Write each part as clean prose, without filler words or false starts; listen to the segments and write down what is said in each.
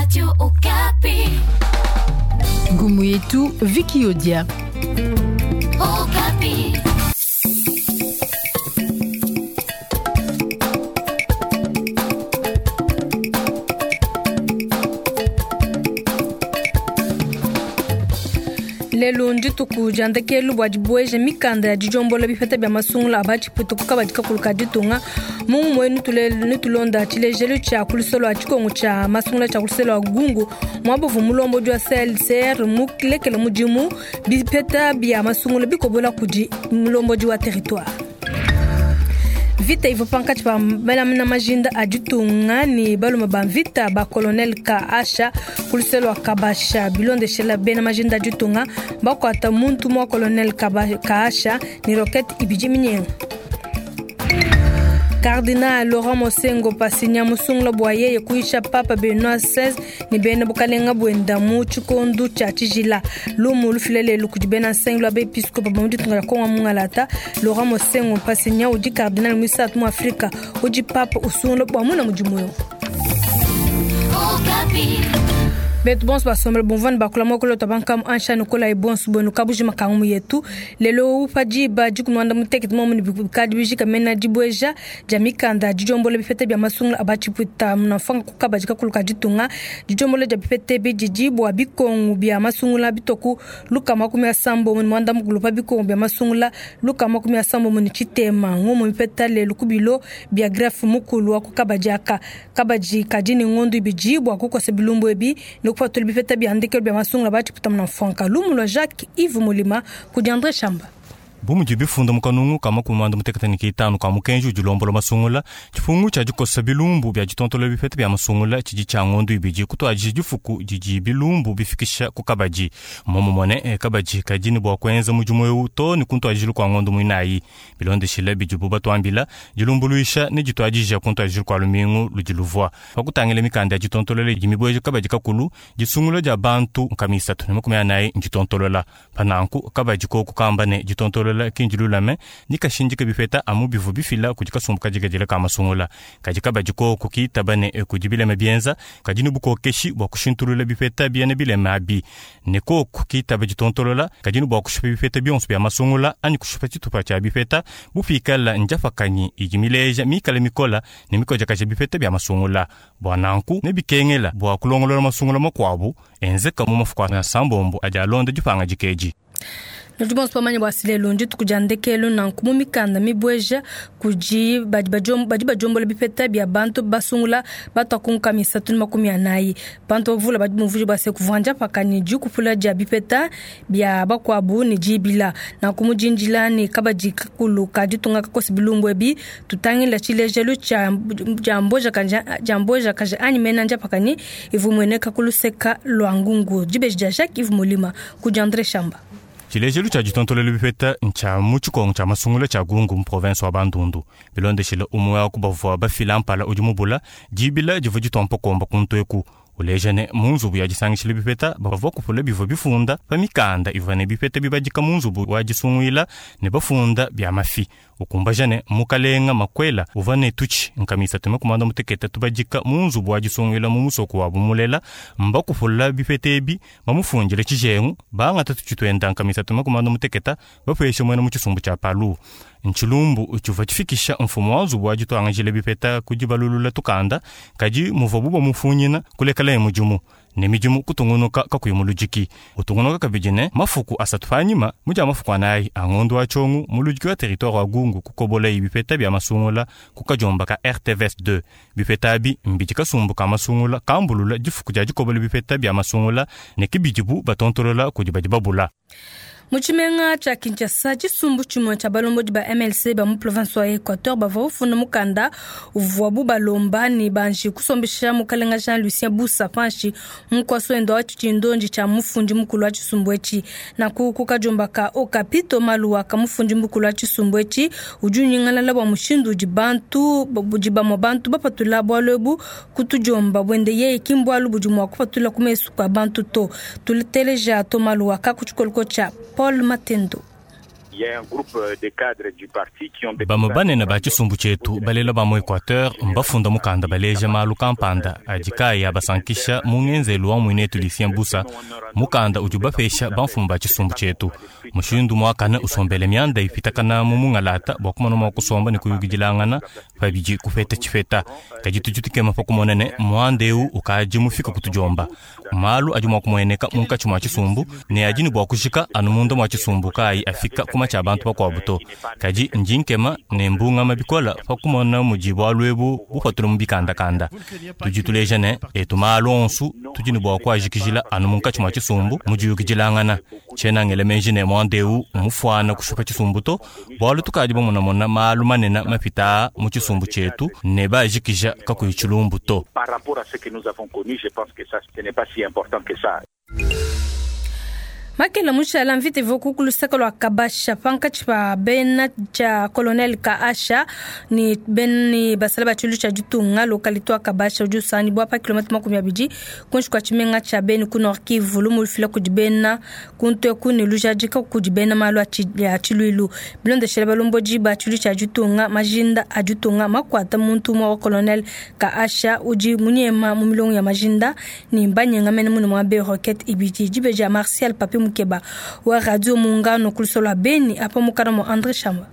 Radio Okapi. Ngumu yetu Vicky Odia. Okapi. Lelu ndituku dia ndekelu bua dibueja mikanda ya didiombola bipeta bia masungula a batshipuita ku kabadi kakulu ka ditunga. Mu ngumu netulonda tshilejelu tshia ku luseke lua tshikongu tshia masungula tshia ku luseke lua Gungu, muaba uvua mulombodi wa CLCR mulekele mudimu, bipeta bia masungula bikobola kudi mulombodi wa territoire. Mvita ivua pankatshi pa bena majinda a ditunga ne balume ba mvita ba colonel Kaasha ku luseke lua Kabasha. Bilondeshela bena majinda a ditunga bakuata muntu mua colonel Kaasha ne roquette ibidi minyenga. Cardinal Laurent Mosengo Pasinya musungula bua yeye kuyisha Papa Benoit XVI ne bena bukalenga buenda mu tshikondo tshia tshijila. Lumu lufila lelu kudi bena nsengu lua bepiskopo ba mu ditunga dia Kongo Mungalata. Laurent Mosengo Pasinya udi cardinal muisatu mu Afrika udi Papa usungula bua muna mudimu eu. Betu bonso basombele bumvua ne bakula muakulu tua bankamu ansha ne kolayi bonso buenu kabujima ka ngumu yetu. Lelo pa diba dikumi muanda mutekete muomu ne bikadi bijika mena dibueja dia mikanda didiombola bipeta bia masungula a batshipuita munamfanga ku kabadi kakulu ka ditunga. Didiombola dia bipeta ebi didi bua bikongu bia masungula bitoku lukama makumi asambombo ne muanda mukulu pa bikongu bia masungula lukama makumi asambombo ne tshitema. Ngumu mipeta lelu ku bilo bia greffe mukulu wa ku kabadi aka. Kabadi kadi ne ngondu ibidi bua kukosa bilumbu ebi ne kupatula bipeta bia ndekelu bia masungula batshipuita munamfanga. Lumu lua Jacques Yves Mulima kudi André Chamba. Bu mudi bifunda mu kanungu ka makumi muanda mutekete ne kitanu ka mukenji udi ulombola masungula, tshipungu tshia dikosa bilumbu bia ditontola bipeta bia masungula tshidi tshia ngondu ibidi kutuadija difuku didi bilumbu bifikisha ku kabadi. Momumone, kabadi kadi ne bua kuenza mudimu eu to ne kuntuadijilu kua ngondu muinayi. Bilondeshile bidibu batuambila, dilumbuluisha ne dituadija kuntuadijilu kua lumingu ludi luvua. Pa kutangila mikanda ya ditontolola idi mibueja kabadi kakulu, disungula dia bantu nkama isatu ne makumi anayi nditontolola. Pa nanku kabadi koku kamba ne ditontolola kinji lulame ni kashindika bipeta amu bivu bifila kudi kasumbu kadikadila ka masungula. Kadi kabadi koku kitaba ne kudi bilema bienza, kadi ne bukokeshi bua kushintulula bipeta biena bilema abi. Ne koku kitaba ditontolola, kadi ne bua kushipa bipeta bionso bia masungula anyi kushipa tshitupa tshia bipeta bupikala njafakanyi idi mileja mikale mikola ne mikojakaja bipeta bia masungula. Bua nanku ne bikengela bua kulongolola masungula makuabu enzeka mu mafuku a sambombo adi alonda dipanga dikeji. Nudi bonso bamanye bua silelu ndituku dia ndekelu nanku mu mikanda mibueja kudi badi badiombola bipeta bia bantu basungula batua ku nkama isatu ne makumi anayi. Bantu bavula badi bumvuija bua se kuvua ndiapakani dikupula dia bipeta bia bakuabu ne dibila. Nanku mu dindila ne kabadi kakulu ka ditunga kakosa bilumbu ebi, tutangila tshilejelu tshia dia mboja kaja anyi mena ndiapakani ivua imueneka ku luseka lua ngungu. Dibeji dia Jacques Yves Mulima kudi André Chamba. Tshilejelu tshia ditontolola bipeta ntshia mu tshikongo tshia masungula tshia Gungu mu province wa Bandundu. Bilondeshile umue wa ku bavua bafila mpala udi mubula, dibila divua ditompa komba ku ntueku. Uleja ne mu nzubu ya disangishila bipeta bavua kupula bivua bifunda pa mikanda ivua ne bipeta bibadika mu nzubu wa disunguila ne bafunda bia mafi. Ukumbaja ne mukalenga makwela uvua ne tutshi nkama isatu ne makumi mutekete tubadika mu nzubu wa disunguila mu musoko wa bumulela, mbakupula bipeta ebi bamufundile tshijengu bangata tutshi tuenda nkama isatu ne makumi mutekete bapeshe muena mu tshisumbu tshia Palu. Ntshilumbu tshivua tshifikisha mfumu wa nzubu wa dituangajila bipeta ku dibalulula tukanda, kadi muvuabu bamufunyina kulekela mudimu ne midimu kutungunuka kakuyi muludiki. Utungunuka kabidi ne mafuku asatu panyima mudia mafuku anayi a ngondu wa tshiongo muludiki wa territoire wa Gungu kukobola bipeta bia masungula ku kadiomba ka RTVS 2. Bipeta abi mbidi kasumbu ka masungula kambulula difuku dia dikobola bipeta bia masungula ne kibidibu batontolola kudi badi babula. Mu tshimenga tshia Kinshasa, tshisumbu tshimue tshia balombodi ba MLC ba mu province wa Equateur bavua bafunda mukanda uvuabu balomba ne banji kusombesha mukalenga Jean Lucien Bussa panshi mu nkuasa wende wa tshindonji tshia mufundi mukulu wa tshisumbu etshi. Nanku ku kadiomba ka Okapi Thomas Luhaka mufundi mukulu wa tshisumbu etshi udi unyingalala bua mushindu udi bantu, budi bamue bantu bapatula bualu ebu kutudiomba buende yeye ki mbualu budi mua kupatula ku mesu kua bantu to. Tuteleja Thomas Luhaka ku tshikoloko tshia Paul Matendo. Bamue banene ba tshisumbu tshietu balela ba mu Equateur mbafunda mukanda baleja malu kampanda adi kaayi abasankisha mu ngenzelu wa muinetu Lucien Busa, mukanda udi ubapesha bamfumu ba tshisumbu tshietu mushindu muakane usombele mianda ipitakana mu mungalata bua kumona mua kusomba ne kuyukidilangana pabidi kupeta tshipeta. Kadi tudi tukema pa kumona ne muanda eu ukadi mufika kutudiomba. Malu adi mua kumueneka munkatshi mua tshisumbu ne adi ne bua kujika anu munda mua tshisumbu kaayi afika kuma tshia bantu bakuabu to. Kadi ndi nkema ne mbungama bikola pa kumona mudi bualu ebu bupatula mu bikandakanda. Tudi tuleja ne etu malu onsu tudi ne bua kuajikijila anu munkatshi mua tshisumbu mu diyukidilangana. Tshiena ngela meji ne muanda eu mufuana kushipa tshisumbu to, bualu tukadi bamonamona malu manene mapita mu tshisumbu tshietu ne baajikija kakuyi tshilumbu to. Par rapport à ce que nous avons connu, je pense que ça, ce n'est pas si important que ça. Makela mushala mvita ivua ku luseke lua Kabasha pankatshi pa bena tshia colonel Kaasha ne bena basala ba tshilu tshia ditunga. Localité wa Kabasha udi usangibua pa kilomètre 20 kuinshi kua tshimenga tshia Beni ku Nord Kivu, lumu lufila kudi bena kuntu eku ne lujadika kudi bena malu a tshiluilu. Bilondeshele balombodi ba tshilu tshia ditunga, majinda a ditunga makuata muntu umue wa colonel Kaasha udi munyema mu milongo ya majinda ne mbanyenga mene mune mua be roquette ibidi. Dibeji ya Martial Papi Mukeba wa Radio Muungano kulusolo Beni apa mukana mu André Chamba.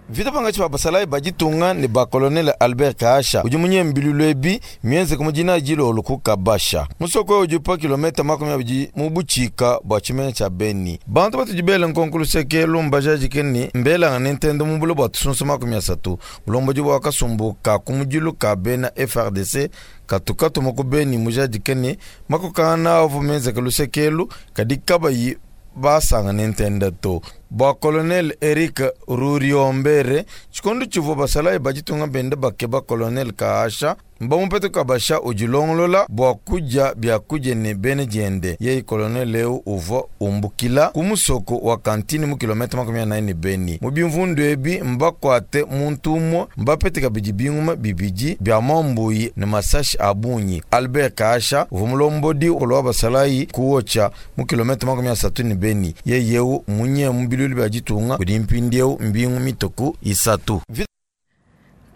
Vita pangatshi pa basalayi ba ditunga ne ba colonel Albert Kaasha udi munyembilulu ebi mienzeke mu dina dilolo ku Kabasha, musoko udi pa kilometa 20 mu butshika bua tshimenga tshia Beni. Bantu batudi bele nkonko luseke lumba jadike ne mbelanga ne ntende mu bulo bua tusunsu 30. Bulombodi bua kasumbu ka kumudilu ka bena FARDC katukatuma ku Beni mujadike ne makokana avu mienzeke lusekelu kadi kabayi basanga ne ntende to. Bua colonel Eric Ruriombere, tshikondo tshivua basalayi ba ditunga bende bakeba colonel Kaasha, mbamupete Kabasha udilongolola bua kudia biakudia ne bene diende. Yeye colonel eu uvua umbukila ku musoko wa kantine mu kilomètre 44 ne Beni. Mu bimvundu ebi mbakuate muntu umue, mbapete kabidi binguma bibidi bia mambuyi ne masashi a bungi. Albert Kaasha uvua mulombodi wa basalayi kuocha mu kilomètre 30 ne Beni. Yeye eu munye mu bilulu bia ditunga kudi mpindieu mbingu mituku 3.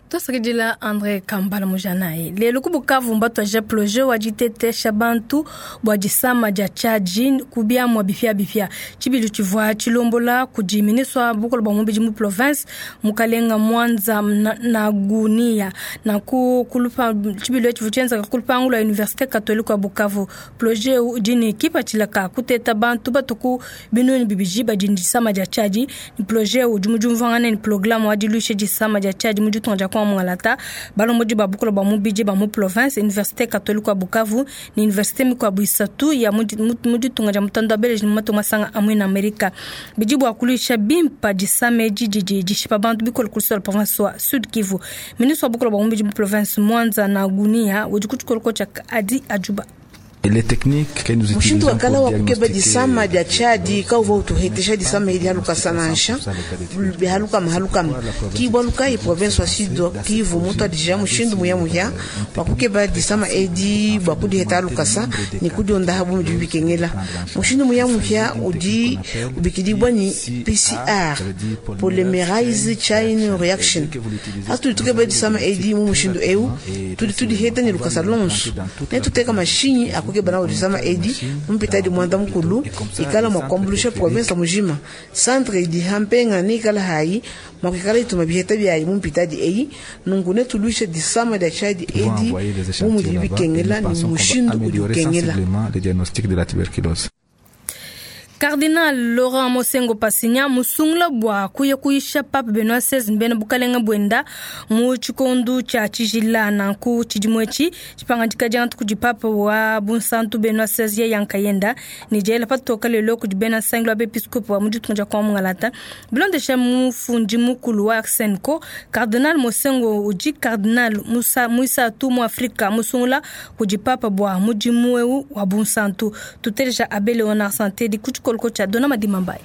Tosakidila André Kambala mujanayi. Lelo ku Bukavu mbatwaje projet wa ditetesha bantu bua disama dia tshiadi ku biamua bipia bipia. Tshibilu tshivua tshilombola kudi ministre wa bukole bua mubidi mu province Mukalenga Mwanza Nagunia. Nanku kulupa tshibilu etshi tshienzeka ku lupangu lua Université Catholique wa Bukavu. Projet udi ne kipatshila ka kuteta bantu batuku binunu bibidi badi disama dia tshiadi. Ni projet udi mu diumvuangana ne programme wa diluisha disama dia tshiadi mu ditunga dia Kongo Mungalata. Balombodi ba bukole bua mubidi ba mu province Université Catholique wa Bukavu ne Université mikuabu isatu ya mu ditunga dia mutanda wa Belgique mu matunga masanga a muena Amerika. Bidi bua kuluisha bimpa disama edi didi dishipa bantu bikole ku luseke lua province wa Sud Kivu. Ministre wa bukole bua mubidi mu province Mwanza Nagunia udi ku tshikoloko tshia Adi Ajuba. Les techniques que nous Mushindu utilisons wa kala pour wa kukeba disama diagnostiquer dia tshiadi kauva utuhetesha disama edi haluka nansha bihalukama halukama kibwaluka i province wa Sud Kivu mutu adija mushindu muyamuya wa kukeba disama edi bua kudiheta halukasa ne kudionda habu mudi bikengela. Mushindu muyamuya udi ubikidibwa ni PCR, polymerase chain reaction. Hatudi tukeba disama edi mu mushindu eu tudi tudiheta ne lukasa lonso ne tuteka mashinyi akukeba nawo disama edi mumpita di mwanda mukulu ikala mwakuambulusha province mujima. Centre idi hampenga ne ikala hayi mwakuikala ituma biheta byayi mumpita di eyi nunku ne tuluisha disama dia tshiadi vont edi envoyer des bu échantillons mudi là-bas et bikengela nous ne pensons qu'on va mushindu udi améliorer ukengela. sensiblement le diagnostic de la tuberculose. Cardinal Laurent Mosengo Pasinya musungula bua kuya kuyisha Pape Benoît XVI mbena bukalenga bwenda mu tshikondu tshia tshijila. Nanku tshidimu etshi tshipangadika diantu kudi Pape wa Bunsantu Benoît XVI ye yankayenda ne diela patoka lelo kudi bena nsangilu wa bepiskopo wa mu ditunga dia Kongo Mungalata. Bilondesha mufundi mukulu wa Arsenco, Cardinal Mosengo udi Cardinal Musa Muisatu mu Afrika musungula kudi Papa bua mudimu eu wa Bunsantu. Tuteleja Abbé Léonard Santé di ku tshikoloko tshia Dona Madima Mbaye.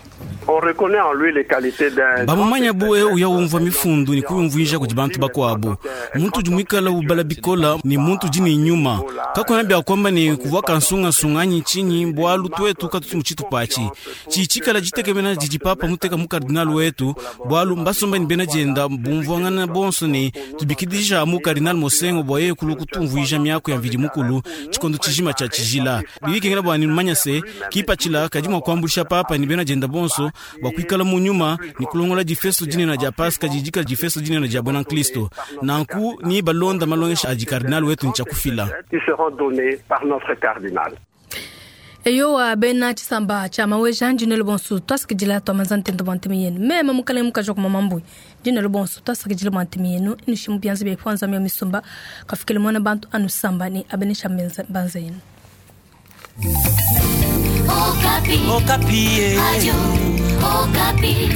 Bamumanya bu eu uya umvua mifundu ne kuyumvuija kudi bantu bakuabu. Muntu udi muikala ubala bikola ne muntu udi ne nyuma. Kakuena bia kuamba ne kuvua kansungasunga anyi tshinyi, bualu tuetu katutu mu tshitupa atshi. Tshidi tshikala ditekemena didi papa muteka mu kardinal wetu, bualu mbasomba ne bena dienda bumvuangana bonso ne tubikidija mu kardinal Monsengwo bua yeye kulua kutumvuija miaku ya Mvidi Mukulu tshikondo tshijima tshia tshijila. Bidi bikengela bua numanya se kipatshila kadi mua kuambuluisha papa ne bena dienda bonso bua kuikala mu nyuma ne kulongola difesto dinene dia Paska didi dikala difesto dinene dia buena Kristo. Nanku ni balonda malongesha adi kardinal wetu ne tshia kufila. Eyowa, bena tshisamba tshia Maweja, ndi nenu bonsu tuasakidila tua manza ntenta bua ntema yenu. Meme mukalenge mukaji wa ku Mamambui, ndi nenu bonsu tuasakidila bua ntema yenu. Nushimu bianza bia ifuanza mia misumba, kafikile muana bantu anusamba ne abenesha mbanza yenu. Okapi. Okapi. Radio Okapi.